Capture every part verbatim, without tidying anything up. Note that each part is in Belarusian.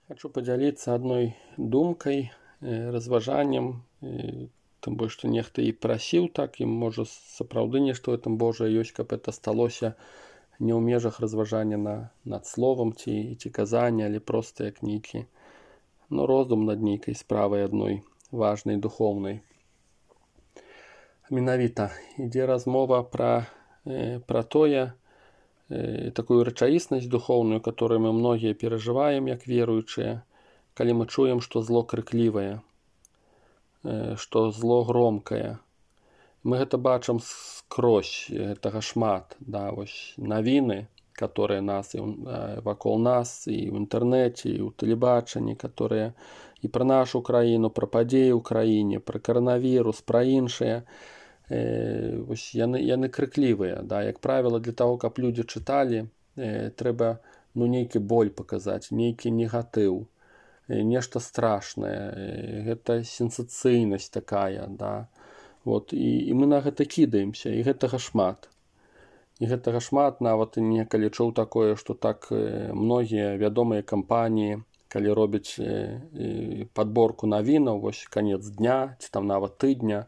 Хочу падзяліцца адной думкай, разважаннем, тым больш, што нехта і прасіў так, і можа сапраўды нешта ў гэтым Божае ёсць, каб это сталося не ў межах разважання на, над словам ці, ці казання, але проста як нейкі ну, роздум над нейкай справай адной важнай, духоўнай. Менавіта ідзе размова пра, пра тое, такую рэчаіснасць духоўную, которую мы многія перажываем як веруючыя, калі мы чуем, што зло крыклівае, што зло громкае. Мы гэта бачым скрозь, гэтага шмат, да, вось навіны, которые нас і вакол нас, і ў інтэрнэце, і ў тэлебачанні, которые і пра нашу краіну, пра падзеі ў краіне, пра каранавірус, пра іншыя, Э, вось яны, яны крыклівыя, да, як правіла, для таго, каб людзі чыталі, э, трэба ну, нейкі боль паказаць, нейкі негатыў, э, нешта страшнае, э, гэта сенсацыйнасць такая, да. Вот, і, і мы на гэта кідаемся, і гэтага шмат. І гэтага шмат, нават некалі чуў такое, што так э, многія вядомыя кампаніі, калі робяць э, э, падборку навінаў, вось канец дня, ці там нават тыдня,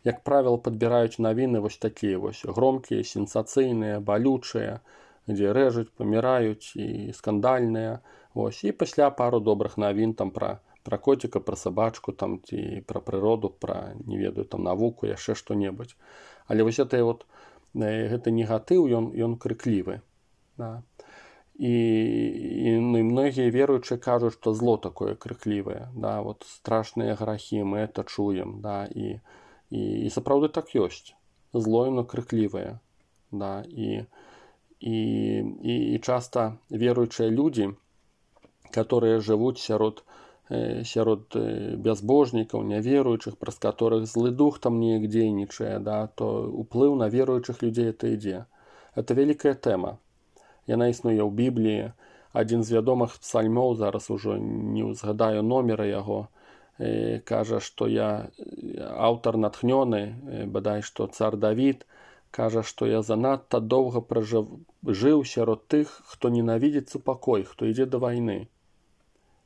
як правіла, падбіраюць навіны вось такія вось громкія, сенсацыйныя, балючыя, дзе рэжуць, паміраюць і скандальныя. Вось. І пасля пару добрых навін там пра, пра коціка, пра сабачку, там, ці пра прыроду, пра, не ведаю, там, навуку, яшчэ што-небудзь. Але вось гэта, вот, гэты негатыў, ён, ён крыклівы. Да. І, і, ну, і многія веруючыя кажуць, што зло такое крыклівае. Да. Вот, страшныя грахі, мы это чуем. Да. І І, і сапраўды так ёсць. Зло яно крыклівае. Да, і, і, і, і часта веруючыя людзі, которые жывуць сярод, э, сярод э, бязбожнікаў, няверуючых, праз которых злы дух там неяк дзейнічае, да, то уплыў на веруючых людзей это ідзе. Это вялікая тэма. Яна існуе ў Бібліі. Адзін з вядомых псальмоў, зараз ужо не ўзгадаю номера яго, кажа, што я аўтар натхнёны, бадай, што цар Давід, кажа, што я занадта доўга пражыў, жыў сярод тых, хто ненавідзіць супакой, хто ідзе да вайны.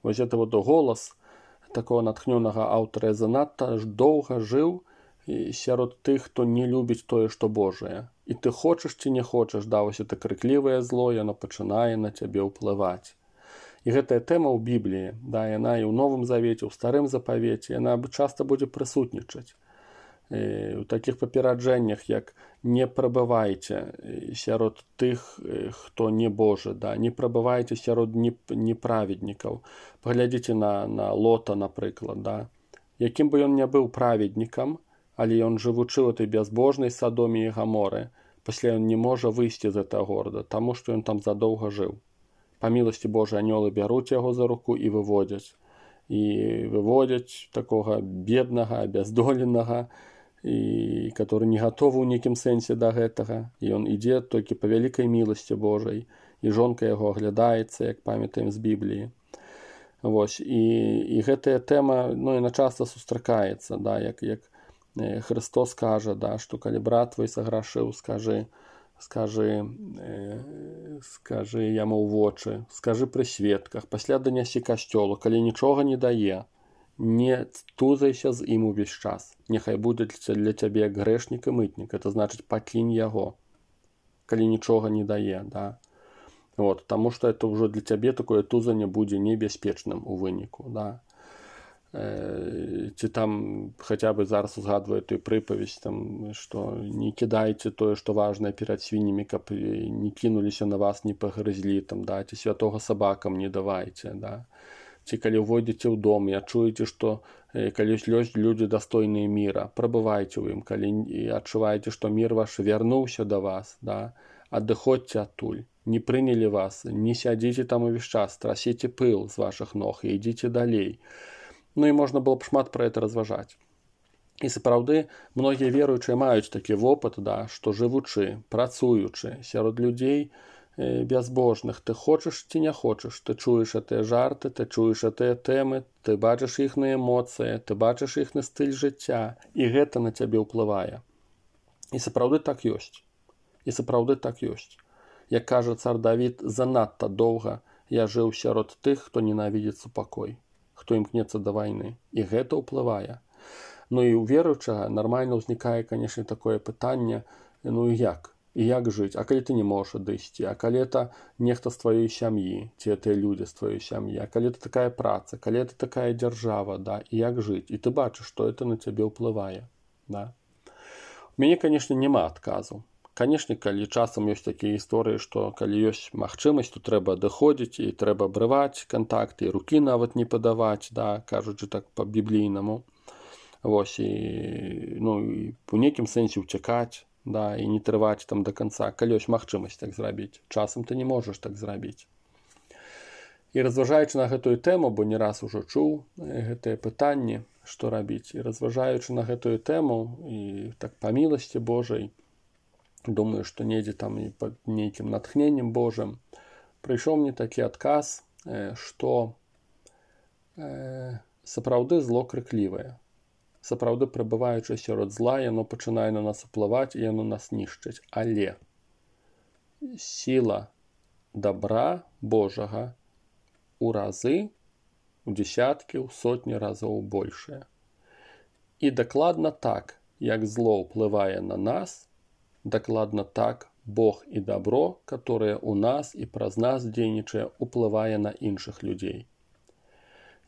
Вось гэта вот голас такого натхнёнага аўтара, я занадта доўга жыў сярод тых, хто не любіць тое, што Божае. І ты хочаш ці не хочаш, да, вось это крыклівае зло, яно пачынае на цябе ўплываць. І гэтая тэма ў Бібліі, да, яна і ў Новым Завеце, ў Старым Запавеце, яна часта будзе прысутнічаць. І у такіх папераджэннях, як не прабывайце сярод тых, хто не Божы, да, не прабывайце сярод неправеднікаў. Паглядзіце на, на Лота, напрыклад, да. Якім бы ён не быў праведнікам, але ён жывучы ў этой бязбожнай Садоме і Гаморы, пасля ён не можа выйсці з гэтага горада, таму што ён там задоўга жыў. Па міласці Божай анёлы бяруць яго за руку і выводзяць. І выводзяць такога беднага, абяздоленага, і который не гатовы ў нейкім сэнсе да гэтага. І ён ідзе толькі па вялікай міласці Божай, і жонка яго аглядаецца, як памятаем з Бібліі. Вось. І, і гэтая тэма, ну, яна часта сустракаецца, да, як, як Христос кажа, да, што калі брат твой саграшыў, скажы, скажы, э, скажы яму ў вочы, скажы пры сведках, пасля данясі касцёлу, калі нічога не дае, не тузайся з ім увесь час. Няхай будзе для цябе як грэшнік і мытнік, это значыць пакінь яго, калі нічога не дае, да. Вот, таму што это ўжо для цябе такое тузанне будзе небяспечным у выніку, да. Ці там хаця бы зараз узгадваю тую прыпавесць, там, што не кідайце тое, што важнае перад свіннямі, каб не кінуліся на вас, не пагрызлі, там, да, ці святога сабакам не давайце, да. Ці калі ўвойдзеце ў дом і адчуеце, што калі ёсць людзі дастойныя міра, прабывайце ў ім, калі адчуваеце, што мір ваш вярнуўся да вас, да, адыходзьце адтуль, не прынялі вас, не сядзіце там увесь час, трасіце пыл з вашых ног і ідзіце далей. Ну і можна было б шмат пра гэта разважаць. І сапраўды, многія веруючыя маюць такі вопыт, да, што жывучы, працуючы сярод людзей э, бязбожных, ты хочаш ці не хочаш, ты чуеш гэтыя жарты, ты чуеш гэтыя тэмы, ты бачыш іхныя эмоцыі, ты бачыш іхны стыль жыцця, і гэта на цябе ўплывае. І сапраўды так ёсць. І сапраўды так ёсць. Як кажа цар Давід, занадта доўга я жыў сярод тых, хто ненавідзіць супакой, хто імкнецца да вайны. І гэта ўплывае. Ну і ў веруючага нармальна ўзнікае, канешне, такое пытанне, ну і як? І як жыць? А калі ты не можаш адысці? А калі это нехта з тваёй сям'і, ці тыя людзі з тваёй сям'і? А калі это такая праца? Калі это такая дзяржава, да? І як жыць? І ты бачыш, што это на цябе ўплывае, да? У мяне, канешне, няма адказу. Канешне, калі часам ёсць такія гісторыі, што калі ёсць магчымасць, то трэба адыходзіць і трэба абрываць кантакты, і рукі нават не падаваць, да, кажучы так па-біблійнаму. Вось, і, ну, і у нейкім сэнсе ўцякаць, да, і не трываць там до конца, калі ёсць магчымасць так зрабіць. Часам ты не можаш так зрабіць. І разважаючы на гэтую тэму, бо не раз ужо чуў гэтыя пытанні, што рабіць, і разважаючы на гэтую тэму, і так па міласці Божай, думаю, што недзе там і пад нейкім натхненнем Божым, прыйшоў мне такі адказ, што э, сапраўды зло крыклівае. Сапраўды, прабываючы сярод зла, яно пачынае на нас уплываць, і яно нас нішчыць. Але сіла добра Божага у разы, у дзесяткі, у сотні разоў большая. І дакладна так, як зло ўплывае на нас, дакладна так Бог і добро, которое у нас і праз нас дзейнічае, уплывае на іншых людзей.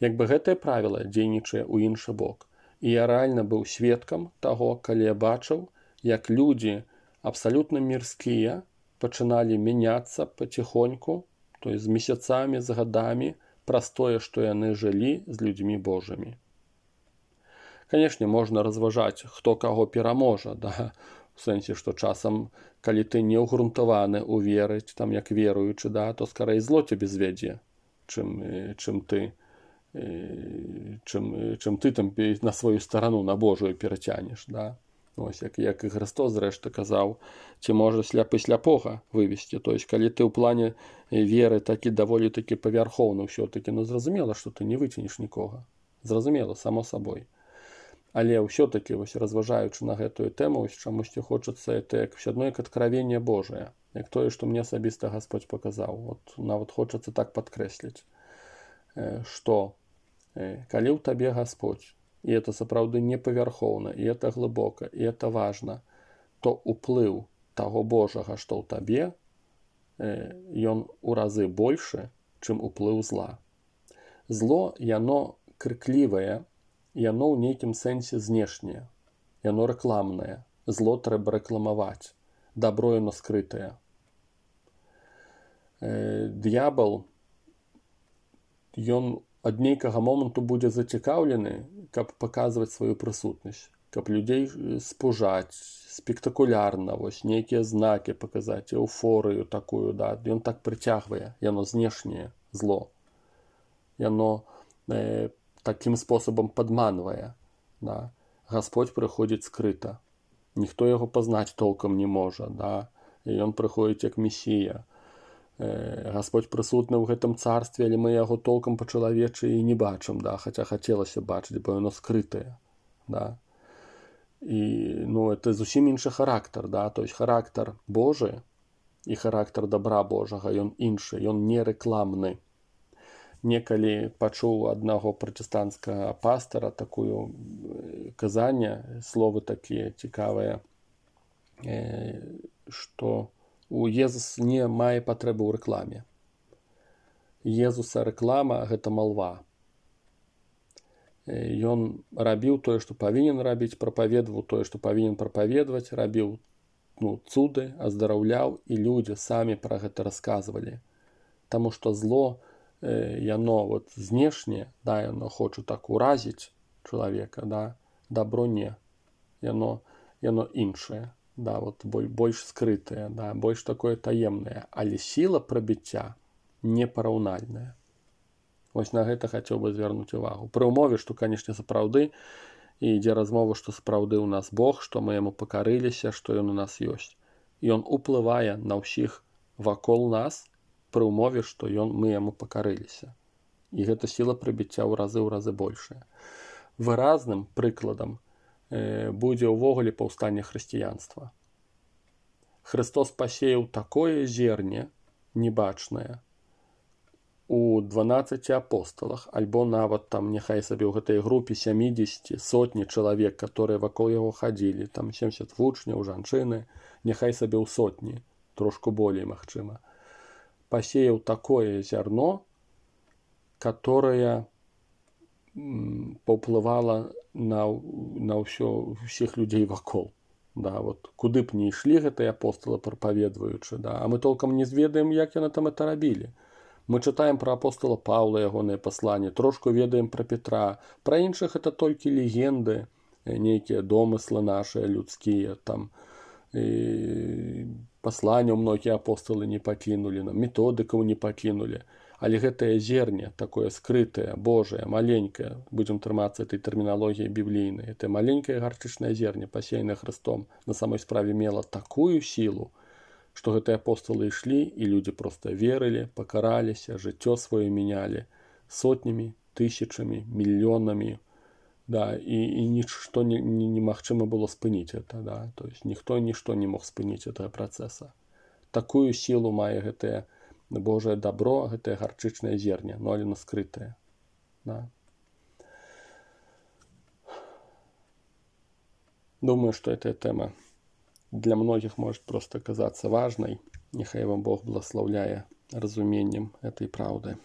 Як бы гэтае правіла дзейнічае ў іншы бок. І я рэальна быў сведкам таго, калі я бачыў, як людзі абсалютна мірскія пачыналі мяняцца паціхоньку, то есть з месяцамі, з гадамі, праз тое, што яны жылі з людзьмі Божымі. Канешне, можна разважаць, хто каго пераможа, да? У сэнсе, што часам, калі ты не ўгрунтаваны ў веры, там як веруючы, да, то скарэй зло цябе звядзе, чым, чым ты чым, чым ты там на сваю старану, на Божую перацянеш, да? Ось, як, як і Христос, зрэшты, казаў, ці можа сляпы сляпога вывесці. То есть, калі ты ў плане веры такі даволі такі павярхоўны ўсё-такі, ну, зразумела, што ты не выценеш нікога. Зразумела, само сабой. Але ўсё-такі, вось, разважаючы на гэтую тэму, чамусьці хочацца, это як ўсё адно як адкравенне Божае, як тое, што мне асабіста Гасподзь паказаў. Вот, нават хочацца так падкрэсліць, што калі ў табе Гасподзь, і это сапраўды не павярхоўна, і это глыбока, і это важна, то ўплыў таго Божага, што ў табе, ён у разы большы, чым уплыў зла. Зло, яно крыклівае, яно ў нейкім сэнсе знешняе, яно рэкламнае. Зло трэба рэкламаваць, дабро яно скрытае. Д'ябал, ён ад нейкага моманту будзе зацікаўлены, каб паказваць сваю прысутнасць, каб людзей спужаць, спектакулярна, вось, нейкія знакі паказаць, эўфорыю такую, да, ён так прыцягвае, яно знешняе зло. Яно э, такім спосабам падманвае, да. Гасподзь прыходзіць скрыта, ніхто яго пазнаць толкам не можа, да, і ён прыходзіць як месія. Гасподзь прысутны ў гэтым царстве, але мы яго толкам па-чалавечы і не бачым, да, хаця хацелася бачыць, бо яно скрытае, да. І, ну, это зусім іншы характар, да, то есть характар Божы і характар добра Божага, ён іншы, ён не рэкламны. Некалі пачуў аднаго пратэстанцкага пастара такую казанне, словы такія цікавыя, што у Езус не мае патрэбы ў рэкламе. Езуса рэклама – гэта малва. Ён рабіў тое, што павінен рабіць, прапаведваў тое, што павінен прапаведваць, рабіў, ну, цуды, аздараўляў, і людзі самі пра гэта расказвалі. Таму што зло, яно вот знешне, да, яно хоча так уразіць чалавека, да, дабро не. Яно, яно іншае. Да, вот больш скрытае, да, больш такое таемнае, але сіла прабіцця непараўнальная. Вось на гэта хацеў бы звярнуць увагу. Пры ўмове, што, канешне, сапраўды, і ідзе размова, што сапраўды ў нас Бог, што мы яму пакарыліся, што ён у нас ёсць. Ён уплывае на ўсіх вакол нас, пры ўмове, што ён, мы яму пакарыліся. І гэта сіла прабіцця ў разы ў разы большая. Выразным прыкладам будзе ўвогуле паўстанне хрысціянства. Христос пасеяў такое зерне небачнае у дванаццаці апосталах, альбо нават там няхай сабе ў гэтай групе сямідзесят сотні чалавек, которые вакол яго хадзілі, там семьдесят вучняў, жанчыны, няхай сабе ў сотні, трошку болей магчыма, пасеяў такое зярно, которое паўплывала на, на ўсё, ўсіх людзей вакол. Да, вот, куды б не ішлі гэтыя апосталы прапаведваючы, да, а мы толкам не зведаем, як яны там это рабілі. Мы чытаем пра апостала Паўла, ягоныя пасланні, трошку ведаем пра Петра, пра іншых это толькі легенды, нейкія домыслы нашыя людскія, там і пасланняў многія апосталы не пакінулі, нам методыкаў не пакінулі. Але гэтае зерне, такое скрытае, Божае, маленькае, будзем трымацца этой тэрміналогіі біблійнай, это маленькае гарчычнае зерне, пасеянае Христом, на самой справе мела такую сілу, што гэтыя апосталы ішлі, і людзі проста верылі, пакараліся, жыццё сваё мянялі сотнямі, тысячамі, мільёнамі, да, і, і нішто не, не, немагчыма было спыніць это, да, то есть ніхто нішто не мог спыніць гэтага працэса. Такую сілу мае гэтае Божае дабро, гэтае гарчычнае зерне, но але скрытае. Да. Думаю, что эта тема для многих может просто казаться важной. Нехай вам Бог благословляе разумением этой правды.